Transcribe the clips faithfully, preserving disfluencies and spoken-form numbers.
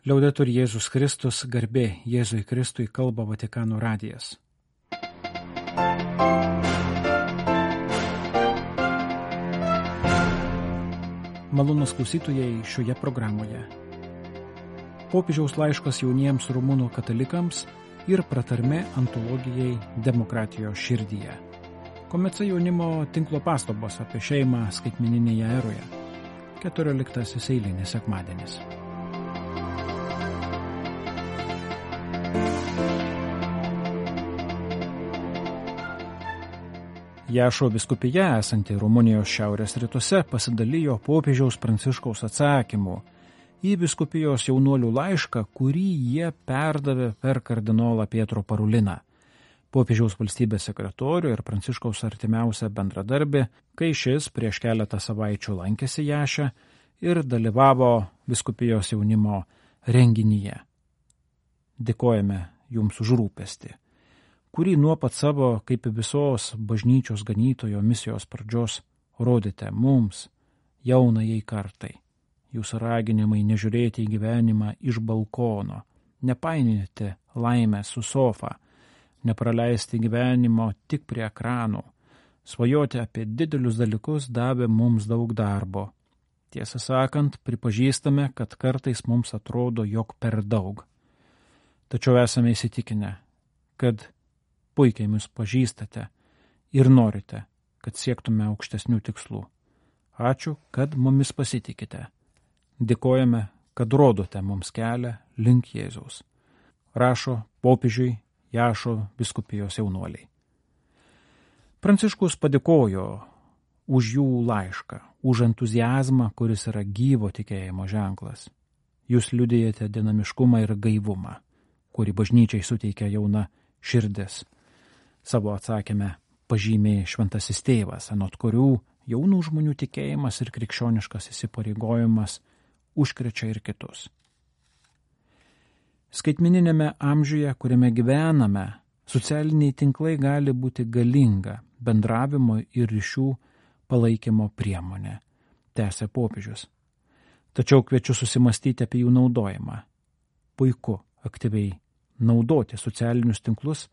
Liaudetur Jėzus Kristus, garbė Jėzui Kristui, kalba Vatikano radijas. Malonūs klausytojai šioje programoje. Popiežiaus laiškas jauniems rumunų katalikams ir pratarmė antologijai Demokratijos širdyje. Komeca jaunimo tinklo pastabos apie šeimą skaitmeninėje eroje. keturioliktasis eilinis sekmadienis. Jašo vyskupija, esanti Rumunijos šiaurės rytuose, pasidalijo popiežiaus Pranciškaus atsakymu į vyskupijos jaunuolių laišką, kurį jie perdavė per kardinolą Pietro Paruliną, popiežiaus valstybės sekretorių ir Pranciškaus artimiausią bendradarbį, kai šis prieš keletą savaičių lankėsi Jaše ir dalyvavo vyskupijos jaunimo renginyje. Dėkojame jums už rūpestį, kurį nuo pat savo kaip visos bažnyčios ganytojo misijos pradžios rodėte mums, jaunajai kartai. Jūsų raginimai nežiūrėti į gyvenimą iš balkono, nepainioti laimę su sofa, nepraleisti gyvenimo tik prie ekranų, svajoti apie didelius dalykus davė mums daug darbo. Tiesą sakant, pripažįstame, kad kartais mums atrodo, jog per daug. Tačiau esame įsitikinę, kad puikiai mus pažįstate ir norite, kad siektume aukštesnių tikslų. Ačiū, kad mumis pasitikite. Dėkojame, kad rodote mums kelią link Jėzaus. Rašo popiežiui Jašo vyskupijos jaunuoliai. Pranciškus padėkojo už jų laišką, už entuziazmą, kuris yra gyvo tikėjimo ženklas. Jūs liudijate dinamiškumą ir gaivumą, kurį bažnyčiai suteikia jauna širdis. Savo atsakėme pažymė šventasis tėvas, anot kurių jaunų žmonių tikėjimas ir krikščioniškas įsipareigojimas užkrečia ir kitus. Skaitmeninėme amžiuje, kuriame gyvename, socialiniai tinklai gali būti galinga bendravimo ir ryšių palaikymo priemonė, tęsė popiežius. Tačiau kviečiu susimastyti apie jų naudojimą. Puiku aktyviai naudoti socialinius tinklus,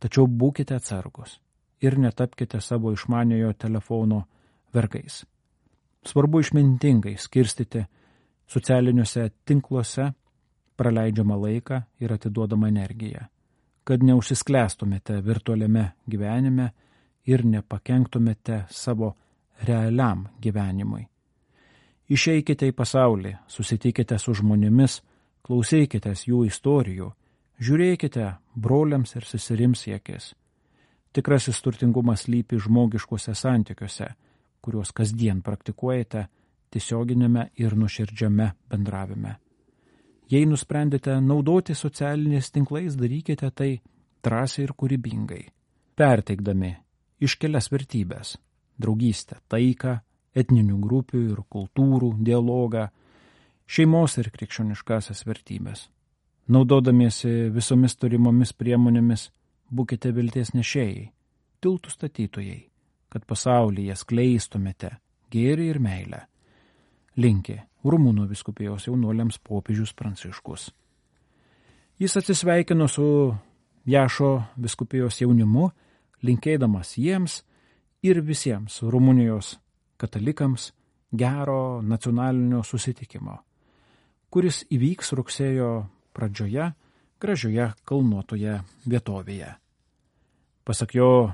tačiau būkite atsargus ir netapkite savo išmaniojo telefono vergais. Svarbu išmintingai skirstyti socialiniuose tinkluose praleidžiamą laiką ir atiduodamą energiją, kad neužsisklęstumėte virtualiame gyvenime ir nepakenktumėte savo realiam gyvenimui. Išeikite į pasaulį, susitikite su žmonėmis, klausykitės jų istorijų, žiūrėkite broliams ir seserims į akis. Tikrasis turtingumas slypi žmogiškuose santykiuose, kuriuos kasdien praktikuojate tiesioginėme ir nuoširdžiame bendravime. Jei nusprendėte naudoti socialiniais tinklais, darykite tai drąsiai ir kūrybingai, perteikdami iškelias vertybės – draugystę, taiką, etninių grupių ir kultūrų dialogą, šeimos ir krikščioniškasias vertybės. Naudodamiesi visomis turimomis priemonėmis, būkite vilties nešėjai, tiltų statytojai, kad pasaulyje skleistumėte gėrį ir meilę. Linki Rumunų vyskupijos jaunuoliams popiežius Pranciškus. Jis atsisveikino su Jašo vyskupijos jaunimu, linkėdamas jiems ir visiems Rumunijos katalikams gero nacionalinio susitikimo, kuris įvyks rugsėjo pradžioje gražioje kalnuotoje vietovėje. Pasak jo,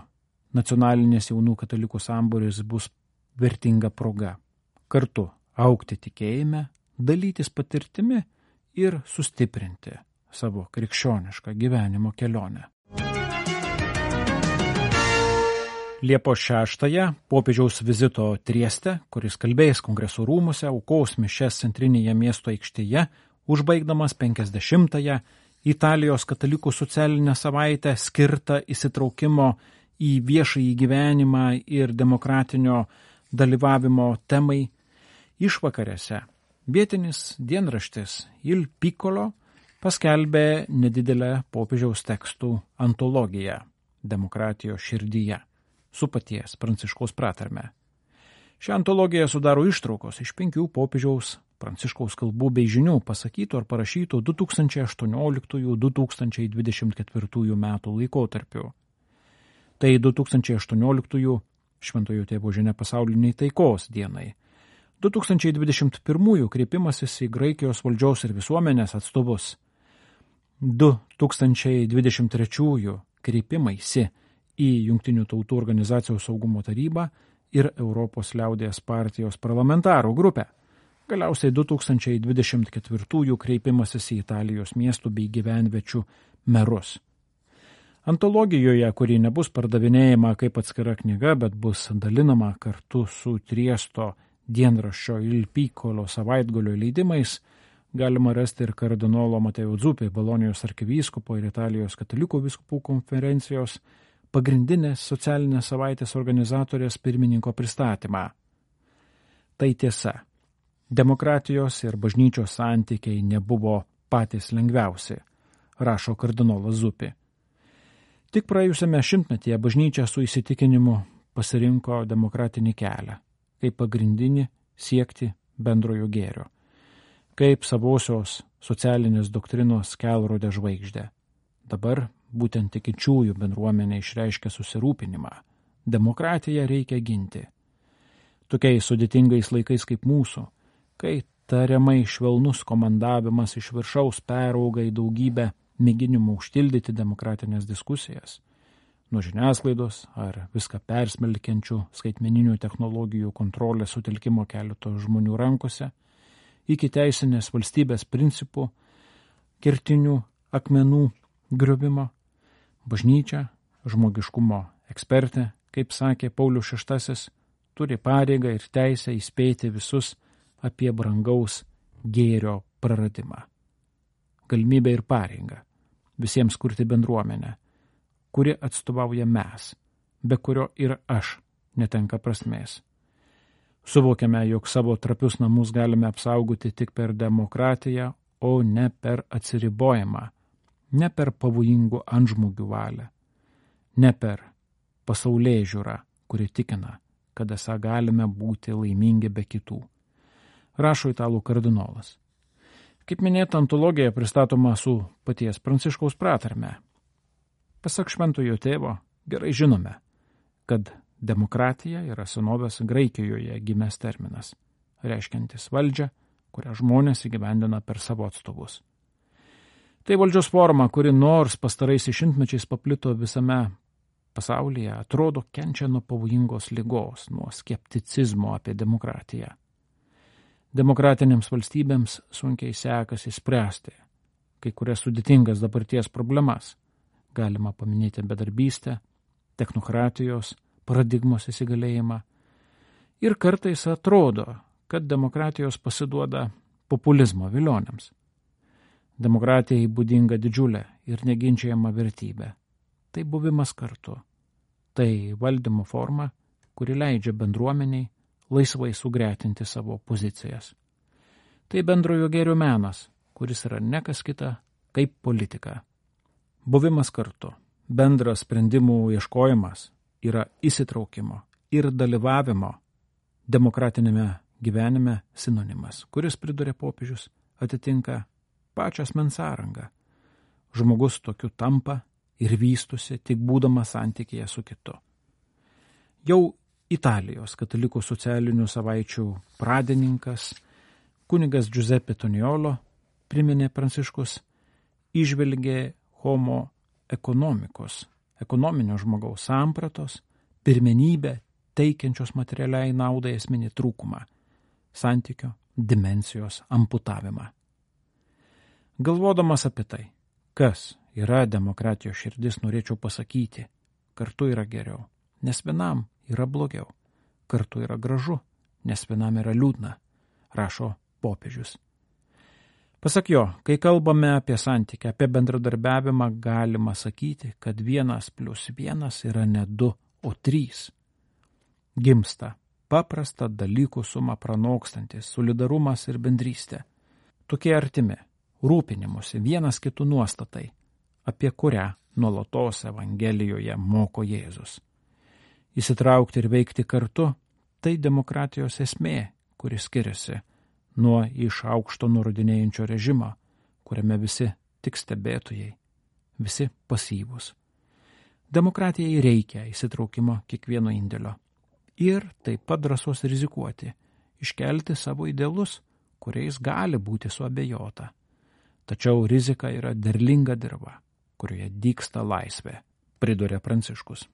nacionalinės jaunų katalikų sambūris bus vertinga proga kartu augti tikėjime, dalytis patirtimi ir sustiprinti savo krikščionišką gyvenimo kelionę. Liepos šeštąją popiežiaus vizito Trieste, kuris kalbės kongreso rūmuose, aukos mišias centrinėje miesto aikštėje, užbaigdamas penkiasdešimtąją Italijos katalikų socialinę savaitę skirtą įsitraukimo į viešąjį gyvenimą ir demokratinio dalyvavimo temai, išvakarėse vietinis dienraštis Il Piccolo paskelbė nedidelę popiežiaus tekstų antologiją Demokratijos širdyje su paties Pranciškaus pratarme. Šią antologiją sudaro ištraukos iš penkių popiežiaus Pranciškaus kalbų bei žinių pasakytų ar parašytų du tūkstančiai aštuonioliktųjų - du tūkstančiai dvidešimt ketvirtųjų metų laikotarpiu. Tai du tūkstančiai aštuonioliktųjų Šventojo Tėvo žinia pasauliniai taikos dienai. du tūkstančiai dvidešimt pirmųjų kreipimasis į Graikijos valdžios ir visuomenės atstovus. du tūkstančiai dvidešimt trečiųjų kreipimaisi į Jungtinių tautų organizacijos saugumo tarybą ir Europos liaudies partijos parlamentarų grupę. Galiausiai du tūkstančiai dvidešimt ketvirtųjų kreipimasis į Italijos miestų bei gyvenviečių merus. Antologijoje, kuri nebus pardavinėjama kaip atskira knyga, bet bus dalinama kartu su Triesto dienraščio Il Piccolo savaitgalio leidimais, galima rasti ir kardinolo Mateo Zuppi, Bolonijos arkivyskupo ir Italijos katalikų vyskupų konferencijos pagrindinės socialinės savaitės organizatorės pirmininko pristatymą. Tai tiesa. Demokratijos ir bažnyčios santykiai nebuvo patys lengviausi, rašo kardinolas Zuppi. Tik praėjusiame šimtmetyje bažnyčia su įsitikinimu pasirinko demokratinį kelią, kaip pagrindinį siekti bendrojo gėrio, kaip savosios socialinės doktrinos kelrodė žvaigždė. Dabar būtent tikinčiųjų bendruomenė išreiškia susirūpinimą. Demokratiją reikia ginti. Tokiais sudėtingais laikais kaip mūsų, kai tariamai švelnus komandavimas iš viršaus perauga į daugybę mėginimų užtildyti demokratinės diskusijas, nuo žiniasklaidos ar viską persmelkiančių skaitmeninių technologijų kontrolės sutelkimo keleto žmonių rankose, iki teisinės valstybės principų, kertinių akmenų griovimo, bažnyčia, žmogiškumo ekspertė, kaip sakė Paulius šeštasis, turi pareigą ir teisę įspėti visus apie brangaus gėrio praradimą. Galimybę ir pareigą visiems kurti bendruomenę, kuri atstovauja mes, be kurio ir aš netenka prasmės. Suvokiame, jog savo trapius namus galime apsaugoti tik per demokratiją, o ne per atsiribojimą, ne per pavojingų antžmogių valią, ne per pasaulėžiūrą, kuri tikina, kad esą galime būti laimingi be kitų. Rašo italų kardinolas. Kaip minėta, antologija pristatoma su paties Pranciškaus pratarme. Pasak Šventojo Tėvo, gerai žinome, kad demokratija yra senovės Graikijoje gimęs terminas, reiškiantis valdžią, kurią žmonės įgyvendina per savo atstovus. Tai valdžios forma, kuri nors pastaraisiais šimtmečiais paplito visame pasaulyje, atrodo kenčia nuo pavojingos ligos, nuo skepticizmo apie demokratiją. Demokratinėms valstybėms sunkiai sekasi spręsti kai kurias sudėtingas dabarties problemas. Galima paminėti bedarbystę, technokratijos, paradigmos įsigalėjimą. Ir kartais atrodo, kad demokratijos pasiduoda populizmo vilionėms. Demokratijai būdinga didžiulė ir neginčiama vertybė. Tai buvimas kartu. Tai valdymo forma, kuri leidžia bendruomeniai laisvai sugretinti savo pozicijas. Tai bendrojo gėrio menas, kuris yra ne kas kita kaip politika. Buvimas kartu, bendras sprendimų ieškojimas yra įsitraukimo ir dalyvavimo demokratinėme gyvenime sinonimas, kuris, priduria popiežius, atitinka pačią asmens sąrangą. Žmogus tokiu tampa ir vystosi tik būdamas santykyje su kitu. Jau Italijos katalikų socialinių savaičių pradininkas, kunigas Giuseppe Toniolo, priminė Pranciškus, įžvelgė homo ekonomikos, ekonominio žmogaus sampratos, pirmenybę teikiančios materialiai naudai esminį trūkumą, santykio dimensijos amputavimą. Galvodamas apie tai, kas yra demokratijos širdis, norėčiau pasakyti, kartu yra geriau, nes vienam yra blogiau, kartu yra gražu, nes vienam yra liūdna, rašo popiežius. Pasak jo, kai kalbame apie santykį, apie bendradarbiavimą, galima sakyti, kad vienas plus vienas yra ne du, o trys. Gimsta paprasta dalykų suma pranokstantis solidarumas ir bendrystė. Tokie artimi, rūpinimusi vienas kitų nuostatai, apie kurią nuolatos Evangelijoje moko Jėzus. Įsitraukti ir veikti kartu – tai demokratijos esmė, kuri skiriasi nuo iš aukšto nurodinėjančio režimo, kuriame visi tik stebėtojai, visi pasyvūs. Demokratijai reikia įsitraukimo kiekvieno indėlio ir taip pat drąsos rizikuoti, iškelti savo idealus, kuriais gali būti suabejota. Tačiau rizika yra derlinga dirva, kurioje dygsta laisvė, priduria Pranciškus.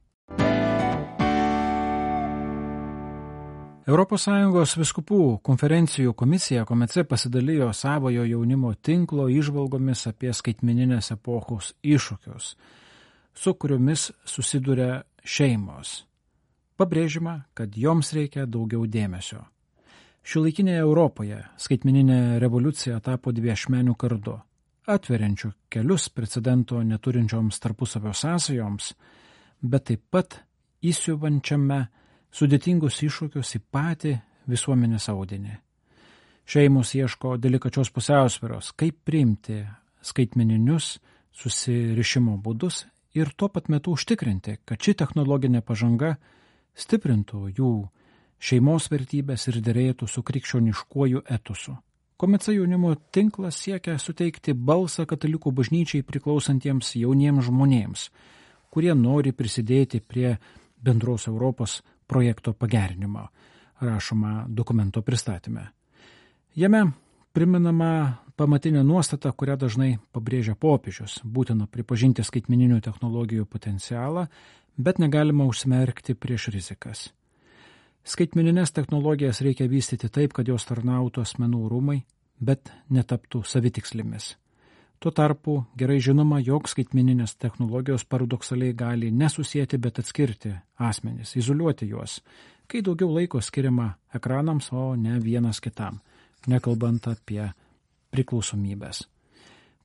Europos Sąjungos vyskupų konferencijų komisija Komece pasidalijo savojo jaunimo tinklo įžvalgomis apie skaitmeninės epochos iššūkius, su kuriomis susiduria šeimos. Pabrėžima, kad joms reikia daugiau dėmesio. Šiuolaikinėje Europoje skaitmeninė revoliucija tapo dviašmeniu kardu, atveriančiu kelius precedento neturinčioms tarpusavio sąsajoms, bet taip pat įsiuvančiame sudėtingus iššūkius į patį visuomenės audinį. Šeimos ieško delikačios pusiausvyros, kaip priimti skaitmeninius susirišimo būdus ir tuo pat metu užtikrinti, kad ši technologinė pažanga stiprintų jų šeimos vertybės ir derėtų su krikščioniškuoju etosu. Komece jaunimo tinklas siekia suteikti balsą katalikų bažnyčiai priklausantiems jauniems žmonėms, kurie nori prisidėti prie bendros Europos projekto pagerinimo, rašoma dokumento pristatyme. Jame priminama pamatinė nuostata, kurią dažnai pabrėžia popiežius, būtina pripažinti skaitmeninių technologijų potencialą, bet negalima užsimerkti prieš rizikas. Skaitmeninės technologijas reikia vystyti taip, kad jos tarnautų asmenų rūmai, bet netaptų savitikslėmis. Tuo tarpu gerai žinoma, jog skaitmeninės technologijos paradoksaliai gali nesusieti, bet atskirti asmenis, izoliuoti juos, kai daugiau laiko skiriama ekranams, o ne vienas kitam, nekalbant apie priklausomybės.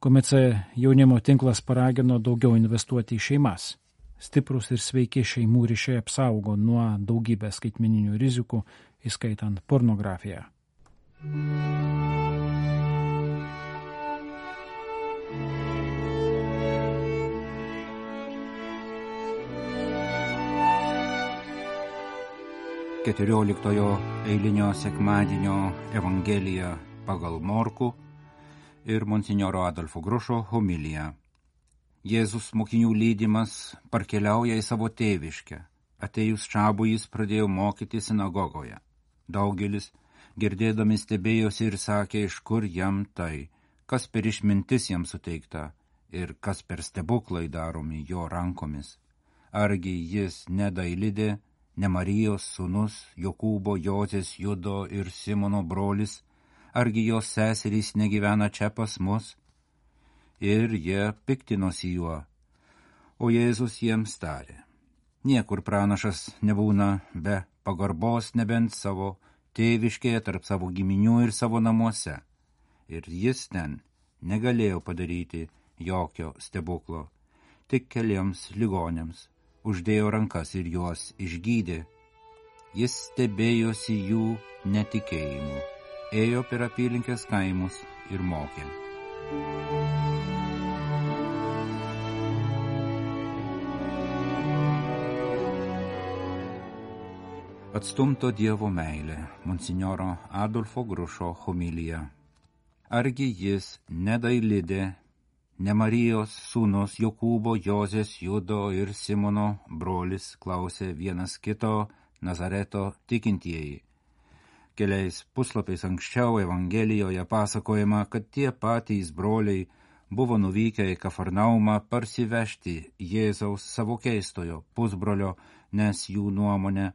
Komece jaunimo tinklas paragino daugiau investuoti į šeimas. Stiprus ir sveiki šeimų ryšiai apsaugo nuo daugybės skaitmeninių rizikų, įskaitant pornografiją. keturioliktojo eilinio sekmadienio Evangelija pagal Morkų ir monsinjoro Adolfo Grušo homilija. Jėzus mokinių lydimas parkeliauja į savo tėviškę. Atėjus čabui jis pradėjo mokyti sinagogoje. Daugelis, girdėdami, stebėjosi ir sakė, iš kur jam tai, kas per išmintis jam suteikta ir kas per stebuklai daromi jo rankomis. Argi jis ne Dailidė, ne Marijos sūnus, Jokūbo, Jozės, Judo ir Simono brolis, argi jos seserys negyvena čia pas mus? Ir jie piktinosi juo. O Jėzus jiems tarė, niekur pranašas nebūna be pagarbos nebent savo tėviškėje, tarp savo giminių ir savo namuose. Ir jis ten negalėjo padaryti jokio stebuklo, tik keliems ligonėms uždėjo rankas ir juos išgydė. Jis stebėjosi jų netikėjimu, ėjo per apylinkės kaimus ir mokė. Atstumto Dievo meilė, monsinjoro Adolfo Grušo homilija. Argi jis ne Dailidė, ne Marijos sūnus, Jokūbo, Jozės, Judo ir Simono brolis, klausė vienas kito Nazareto tikintieji. Keliais puslapiais anksčiau Evangelijoje pasakojama, kad tie patys broliai buvo nuvykę į Kafarnaumą parsivežti Jėzaus savo keistojo pusbrolio, nes jų nuomonė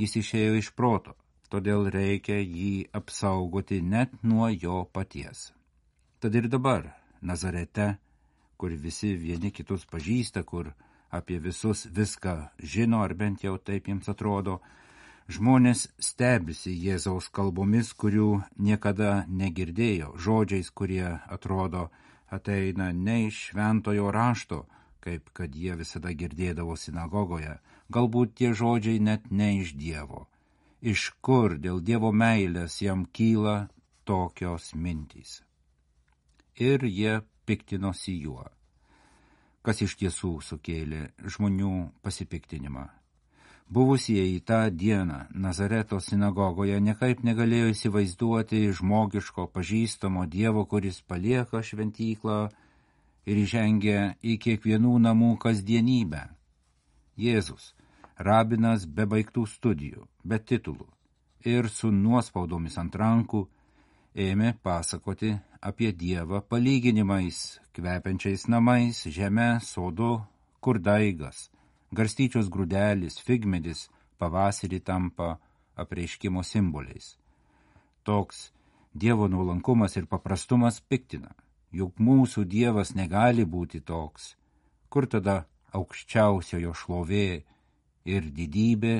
jis išėjo iš proto, todėl reikia jį apsaugoti net nuo jo paties. Tad ir dabar Nazarete, kur visi vieni kitus pažįsta, kur apie visus viską žino, ar bent jau taip jiems atrodo, žmonės stebisi Jėzaus kalbomis, kurių niekada negirdėjo, žodžiais, kurie atrodo ateina ne iš šventojo rašto, kaip kad jie visada girdėdavo sinagogoje, galbūt tie žodžiai net ne iš Dievo. Iš kur dėl Dievo meilės jam kyla tokios mintys? Ir jie piktinosi juo. Kas iš tiesų sukėlė žmonių pasipiktinimą? Buvusieji tą dieną Nazareto sinagogoje nekaip negalėjo įsivaizduoti žmogiško pažįstamo Dievo, kuris palieka šventyklą ir įžengia į kiekvienų namų kasdienybę. Jėzus, rabinas be baigtų studijų, be titulų ir su nuospaudomis ant rankų, ėmė pasakoti apie Dievą palyginimais, kvepiančiais namais, žeme, sodu, kur daigas, garstyčios grūdelis, figmedis pavasarį tampa apreiškimo simboliais. Toks Dievo nuolankumas ir paprastumas piktina, juk mūsų Dievas negali būti toks. Kur tada aukščiausiojo šlovė ir didybė?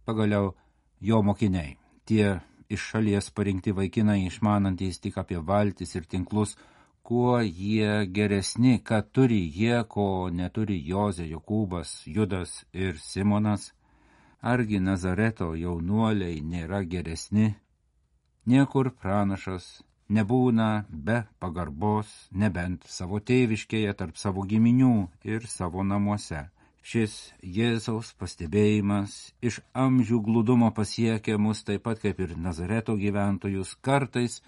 Pagaliau jo mokiniai, tie iš šalies parinkti vaikinai, išmanantys tik apie valtis ir tinklus, kuo jie geresni, ką turi jie, ko neturi Jozė, Jokūbas, Judas ir Simonas. Argi Nazareto jaunuoliai nėra geresni? Niekur pranašas nebūna be pagarbos, nebent savo tėviškėje, tarp savo giminių ir savo namuose. Šis Jėzaus pastebėjimas iš amžių glūdumo pasiekia mus taip pat kaip ir Nazareto gyventojus, kartais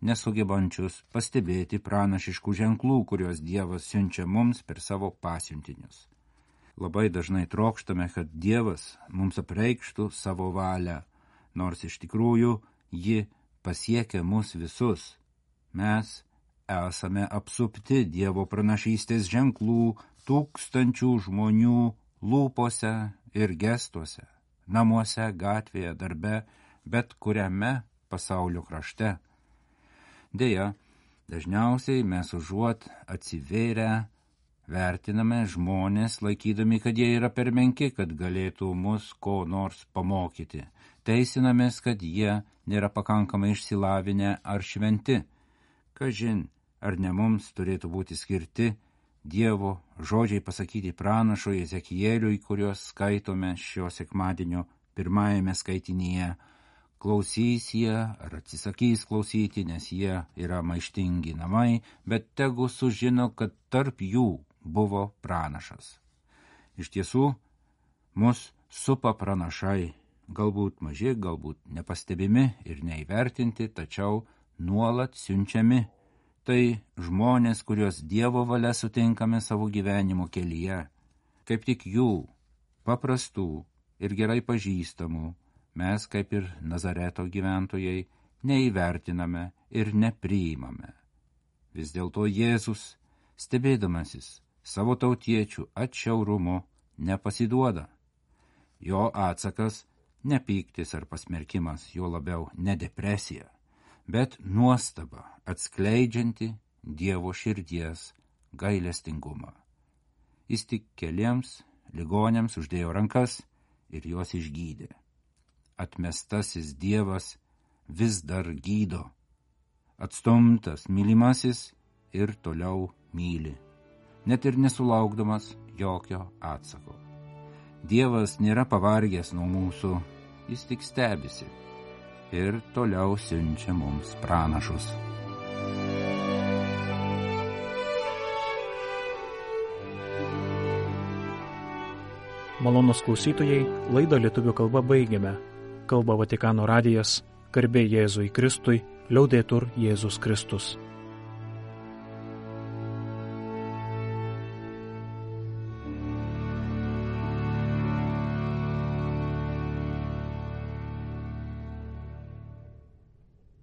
nesugebančius pastebėti pranašiškų ženklų, kuriuos Dievas siunčia mums per savo pasiuntinius. Labai dažnai trokštame, kad Dievas mums apreikštų savo valią, nors iš tikrųjų ji pasiekia mus visus. Mes esame apsupti Dievo pranašystės ženklų tūkstančių žmonių lūpose ir gestuose, namuose, gatvėje, darbe, bet kuriame pasaulio krašte. Deja, dažniausiai mes užuot atsivėrę vertiname žmonės, laikydami, kad jie yra per menki, kad galėtų mus ko nors pamokyti. Teisinamės, kad jie nėra pakankamai išsilavinę ar šventi. Kažin, ar ne mums turėtų būti skirti Dievo žodžiai pasakyti pranašui Ezekieliui, kuriuos skaitome šio sekmadienio pirmajame skaitinyje. Klausys jie ar atsisakys klausyti, nes jie yra maištingi namai, bet tegu sužino, kad tarp jų buvo pranašas. Iš tiesų, mus supa pranašai, galbūt maži, galbūt nepastebimi ir neįvertinti, tačiau nuolat siunčiami. Tai žmonės, kuriuos Dievo valia sutinkame savo gyvenimo kelyje. Kaip tik jų, paprastų ir gerai pažįstamų, mes, kaip ir Nazareto gyventojai, neįvertiname ir nepriimame. Vis dėlto Jėzus, stebėdamasis savo tautiečių atšiaurumu, nepasiduoda. Jo atsakas ne pyktis ar pasmerkimas, jo labiau ne depresija, bet nuostaba atskleidžianti Dievo širdies gailestingumą. Jis tik keliems ligoniams uždėjo rankas ir juos išgydė. Atmestasis Dievas vis dar gydo, atstumtas mylimasis ir toliau myli, net ir nesulaukdamas jokio atsako. Dievas nėra pavargęs nuo mūsų, jis tik stebisi ir toliau siunčia mums pranašus. Malonūs klausytojai, laidą lietuvių kalba baigiame. Kalba Vatikano radijas, garbė Jėzui Kristui, liaudetur Jėzus Kristus.